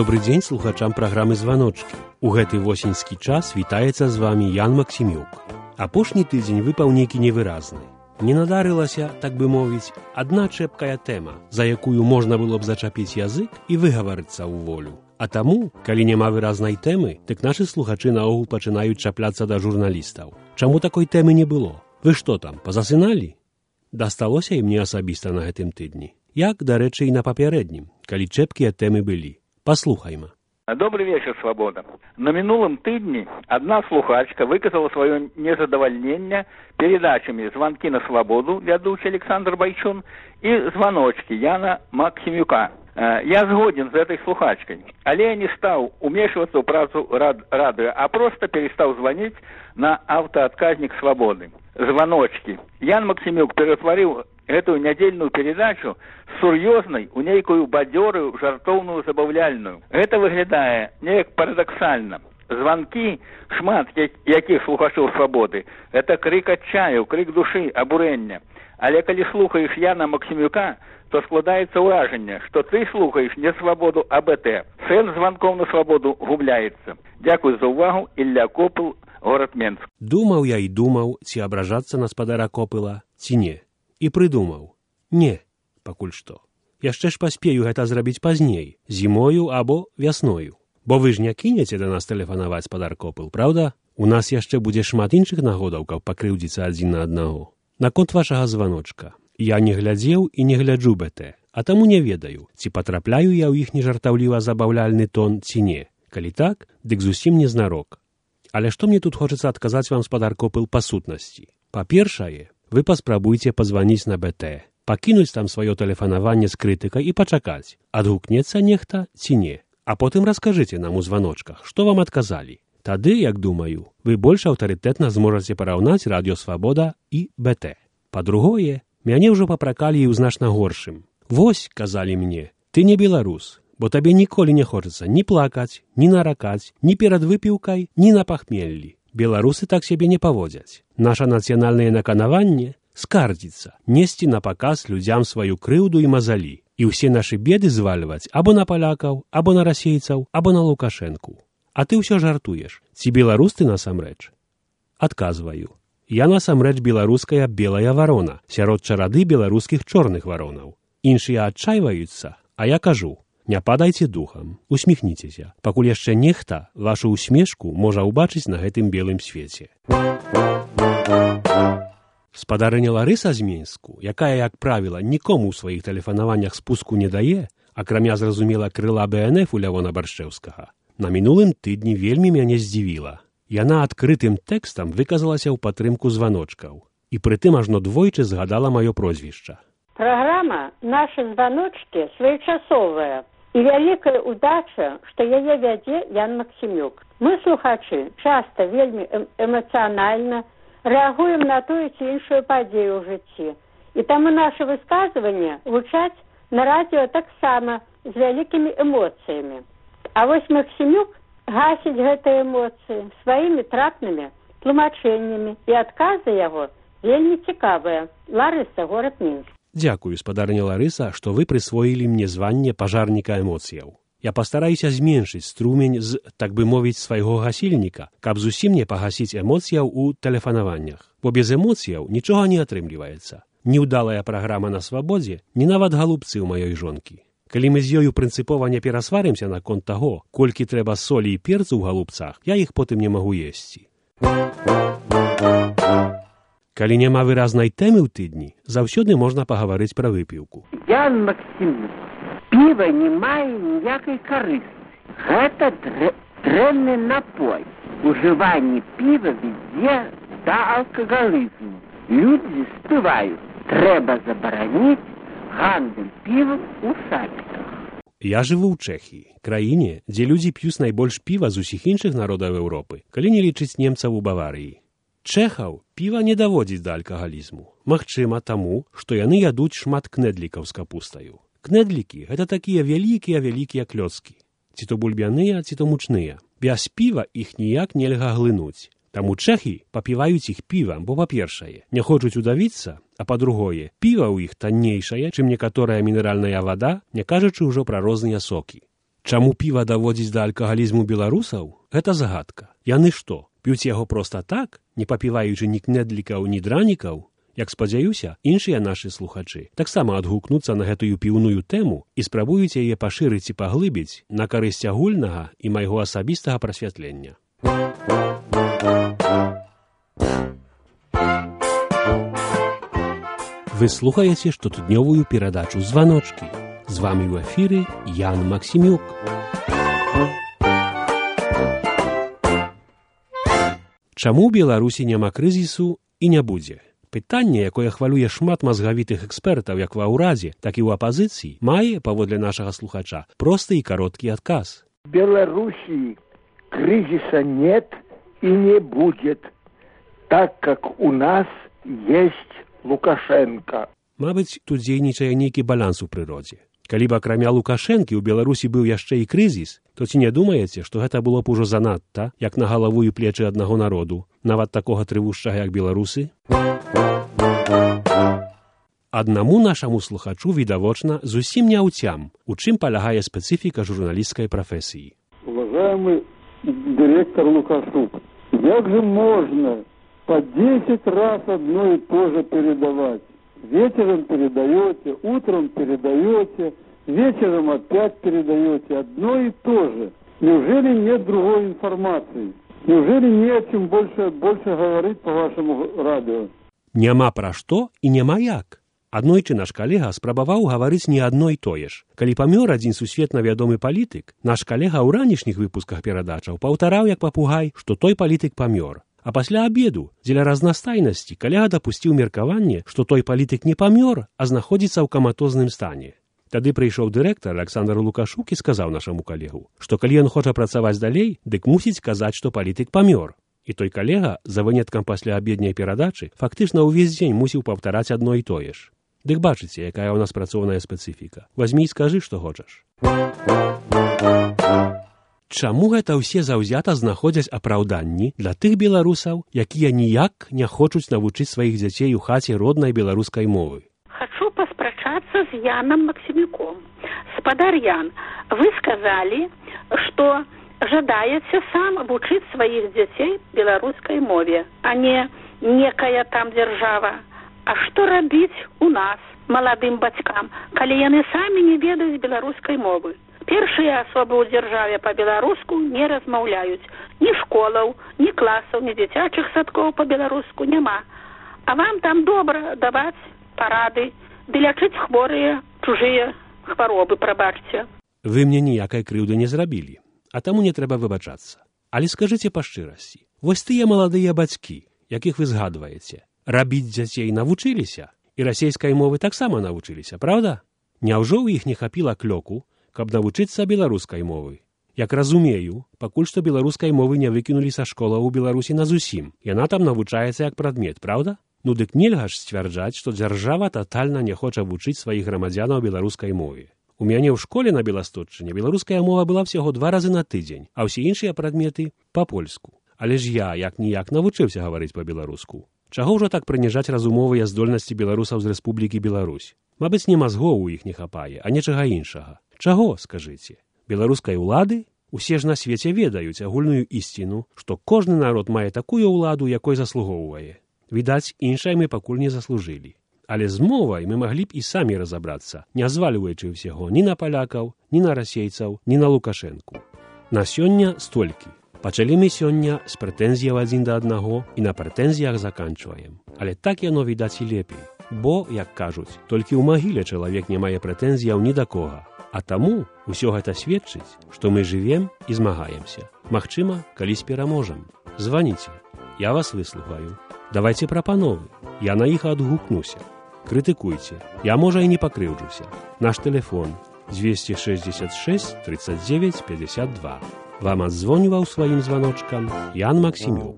Добры дзень слухачам праграмы «Званочкі». У гэты восеньскі час вітаецца з вамі Ян Максімюк. Апошні тыдзень выпаў нейкі невыразны. Не надарылася, так бы мовіць, адна чэпкая тэма, за якую можна было б зачапіць язык і выгаварыцца ў волю. А таму, калі няма выразнай тэмы, дык нашы слухачы наогул пачынаюць чапляцца да журналістаў. Чаму такой тэмы не было? Вы што там, пазасыналі? Дасталося і мне асабіста на гэтым тыдні. Як, дарэчы, і на папярэднім, калі чэпкія тэмы былі. Паслухайма. Добрый вечер, Свобода. На минулом тыдні одна слухачка выказала свое незадовольнение передачами «Звонки на свободу» ведущий Александр Байчун и «Звоночки» Яна Максимюка. Я згоден з этой слухачкой, але я не стал умешиваться в працу радио, а просто перестал звонить на автоотказник «Свободы». «Звоночки». Ян Максимюк перетворил эту недельную передачу з сур'ёзнай у нейкую бадзёрую, жартоўную, забаўляльную. Гэта выглядае неяк парадаксальна. Званкі, шмат якіх слухачоў «Свабоды», это крык адчаю, крык душы, абурэння. Але калі слухаеш Яна Максимюка, то складаецца ўражанне, што ты слухаеш не «Свабоду», а БТ. Сэнс званкоў на «Свабоду» губляецца. Дзякуй за ўвагу, Ілля Копыл, горад Менск. Думаў я і думаў, ці абражацца на спадара Копыла, ці не. І прыдумаў. Не, пакуль што. Яшчэ ж паспею гэта зрабіць пазней, зімою або вясною. Бо вы ж не кінеце да нас тэлефанаваць, спадар Копыл, праўда? У нас яшчэ будзе шмат іншых нагодаў, каб пакрыўдзіцца адзін на аднаго. Наконт вашага званочка. Я не глядзеў і не гляджу БТ, а таму не ведаю, ці патрапляю я ў іх нежартаўліва забаўляльны тон, ці не. Калі так, дык зусім не знарок. Але што мне тут хочацца адказаць вам, спадар Копыл, па сутнасці? Па-першае, вы паспрабуйце пазваніць на БТ, пакінуць там сваё тэлефанаванне з крытыкай і пачакаць, адгукнецца нехта ці не. А потым раскажыце нам у званочках, што вам адказалі. Тады, як думаю, вы больш аўтарытэтна зможаце параўнаць радыё «Свабода» і БТ. Па-другое, мяне ўжо папракалі і ў значна горшым. Вось, казалі мне, ты не беларус, бо табе ніколі не хочацца ні плакаць, ні наракаць, ні перад выпіўкай, ні на пахмеллі. Беларусы так сябе не паводзяць. Наша нацыянальнае наканаванне скардзіцца, несці на паказ людзям сваю крыўду і мазалі, і ўсе нашы беды звальваць або на палякаў, або на расейцаў, або на Лукашэнку. А ты ўсё жартуеш. Ці беларус ты насамрэч? Адказваю. Я насамрэч беларуская белая варона, сярод чарады беларускіх чорных варонаў. Іншыя адчайваюцца, а я кажу: не падайце духам, усміхніцеся, пакуль яшчэ нехта вашу усмешку можа ўбачыць на гэтым белым свеце. Спадарыня Ларыса з Менску, якая, як правіла, нікому ў сваіх тэлефанаваннях спуску не дае, акрамя, зразумела, крыла БНФ у Лявона Баршчэўскага, на мінулым тыдні вельмі мяне здзівіла. Яна адкрытым тэкстам выказалася ў падтрымку званочкаў, і прытым ажно двойчы згадала маё прозвішча. Праграма «Нашы званочкі» своечасовая, і вялікая ўдача, што яе вядзе Ян Максімюк. Мы, слухачы, часта вельмі эмацыянальна рэагуем на тую ці іншую падзею ў жыцці. І таму нашы высказванні гучаць на радыё таксама з вялікімі эмоцыямі. А вось Максімюк гасіць гэтыя эмоцыі сваімі трапнымі тлумачэннямі, і адказы яго вельмі цікавыя. Ларыса, горад Мінск. Дзякую, спадарыня Ларыса, што вы прысвоілі мне званне пажарніка эмоцыяў. Я пастараюся зменшыць струмень з, так бы мовіць, свайго гасільніка, каб зусім не пагасіць эмоцыяў у тэлефанаваннях. Бо без эмоцыяў нічога не атрымліваецца. Ні ўдалая праграма на свабодзе, ні нават галубцы ў маёй жонкі. Калі мы з ёю прынцыпова не перасварымся наконт таго, колькі трэба солі і перцу ў галубцах, я іх потым не магу есці. Калі няма выразнай тэмы ў тыдні, заўсёды можна пагаварыць пра выпіўку. Ян Максимюк, піва не мае ніякай карысці. Гэта дрэнны напой. Ужыванне піва вядзе да алкагалізму. Людзі спяваюць: трэба забараніць гандаль півам у садках. Я жыву ў Чэхіі, краіне, дзе людзі п'юць найбольш піва з усіх іншых народаў Еўропы, калі не лічыць немцаў у Баварыі. Чэхаў піва не даводзіць да алкагалізму. Магчыма, таму, што яны ядуць шмат кнедлікаў з капустаю. Кнедлікі – гэта такія вялікія клёцкі. Ці то бульбяныя, ці то мучныя. Без піва іх ніяк нельга глынуць. Таму чэхі папіваюць іх півам, бо, па-першае, не хочуць удавіцца, а па-другое, піва ў іх таннейшае, чым некаторая мінеральная вада, не кажучы ўжо пра розныя сокі. Чаму піва даводзіць да алкагалізму беларусаў? Гэта загадка. Яны што, п'юць яго проста так, не папіваючы ні кнедлікаў, ні дранікаў? Як спадзяюся, іншыя нашы слухачы таксама адгукнуцца на гэтую піўную тэму і спрабуюць яе пашырыць і паглыбіць на карысць агульнага і майго асабістага прасвятлення. Вы слухаеце штотыднёвую перадачу «Званочкі». З вамі ў эфіры Ян Максімюк. Чаму ў Беларусі няма крызісу і не будзе? Пытанне, якое хвалюе шмат мазгавітых экспертаў як ва ўрадзе, так і ў апазіцыі, мае, паводле нашага слухача, просты і кароткі адказ. В Беларуси кризиса нет и не будет, так как у нас есть Лукашенко. Мабыць, тут дзейнічае нейкі баланс у прыродзе. Калі б акрамя Лукашэнкі ў Беларусі быў яшчэ і крызіс, то ці не думаеце, што гэта было б ужо занадта, як на галаву і плечы аднаго народу, нават такога трывушчага, як беларусы? Аднаму нашаму слухачу відавочна зусім не ўцям, у чым палягае спецыфіка журналісцкай прафесіі. Уважаемый директор Лукашук, как же можно по 10 раз одно и то же передавать? Вечером передаете, утром передаете, вечером опять передаете одно и то же. Неужели нет другой информации? Неужели не о чем больше говорить по вашему радио? Няма пра што і няма як. Аднойчы наш калега спрабаваў гаварыць не адно і тое ж. Калі памёр адзін сусветна вядомы палітык, наш калега ў ранішніх выпусках перадачаў паўтараў як папугай, што той палітык памёр. А пасля абеду, дзеля разнастайнасці, калега дапусціў меркаванне, што той палітык не памёр, а знаходзіцца ў каматозным стане. Тады прыйшоў дырэктар Александр Лукашук і сказаў нашаму калегу, што калі ён хоча працаваць далей, дык мусіць казаць, што палітык памёр. І той калега, за выняткам пасля абедняй перадачы, фактычна ўвесь дзень мусіў паўтараць адно і тое ж. Дык бачыце, якая ў нас працоўная спецыфіка. Вазьмі і скажы, што хочаш. Чаму гэта ўсе заўзята знаходзяць апраўданні для тых беларусаў, якія ніяк не хочуць навучыць сваіх дзяцей у хаце роднай беларускай мовы? Хочу поспрачаться с Яном Максимюком. Спадар Ян, вы сказали, что жадаете сам обучить своих детей белорусской мове, а не некая там держава. А что робить у нас, молодым бацькам, калі яны самі не ведаюць беларускай мовы? Першыя асобы ў дзяржаве па-беларуску не размаўляюць. Ні школаў, ні класаў, ні дзіцячых садкоў па-беларуску няма. А вам там добра даваць парады, ды лячыць хворыя, чужыя хваробы, прабачце. Вы мне ніякай крыўды не зрабілі, а таму не трэба выбачацца. Але скажыце па шчырасці, вось тыя маладыя бацькі, якіх вы згадваеце, рабіць дзяцей навучыліся, і расейскай мовы таксама навучыліся, праўда? Няўжо ў іх не хапіла клёку, каб навучыцца беларускай мовы? Як разумею, пакуль што беларускай мовы не выкінулі са школаў у Беларусі назусім. Яна там навучаецца як прадмет, праўда? Ну дык нельга ж сцвярджаць, што дзяржава татальна не хоча вучыць сваіх грамадзянаў беларускай мове. У мяне ў школе на Беластотчыне беларуская мова была всяго 2 разы на тыдзень, а ўсе іншыя прадметы па-польску. Але ж я як-ніяк навучыўся гаварыць па-беларуску. Чаго ўжо так прыніжаць разумовыя здольнасці беларусаў з Рэспублікі Беларусь? Мабыць, не мазгоў у іх не хапае, а нечага іншага. Чаго, скажыце? Беларускай улады? Усе ж на свеце ведаюць агульную ісціну, што кожны народ мае такую ўладу, якой заслугоўвае. Відаць, іншай мы пакуль не заслужылі. Але з мовай мы маглі б і самі разабрацца, не звальваючы ўсяго ні на палякаў, ні на расейцаў, ні на Лукашэнку. На сёння столькі. Пачалі мы сёння з прэтэнзіяў адзін да аднаго і на прэтэнзіях заканчваем. Але так яно відаць і лепей. Бо, як кажуць, толькі ў магіле чалавек не мае прэтэнзіяў ні да кога. А таму ўсё гэта сведчыць, што мы жывем і змагаемся. Магчыма, калісь пераможам. Званіце, я вас выслухаю. Давайце прапановы, я на іх адгукнуся. Крытыкуйце, я, можа, і не пакрыўджуся. Наш тэлефон 266 39 52. Вам адзвоніваў сваім званочкам Ян Максімюк.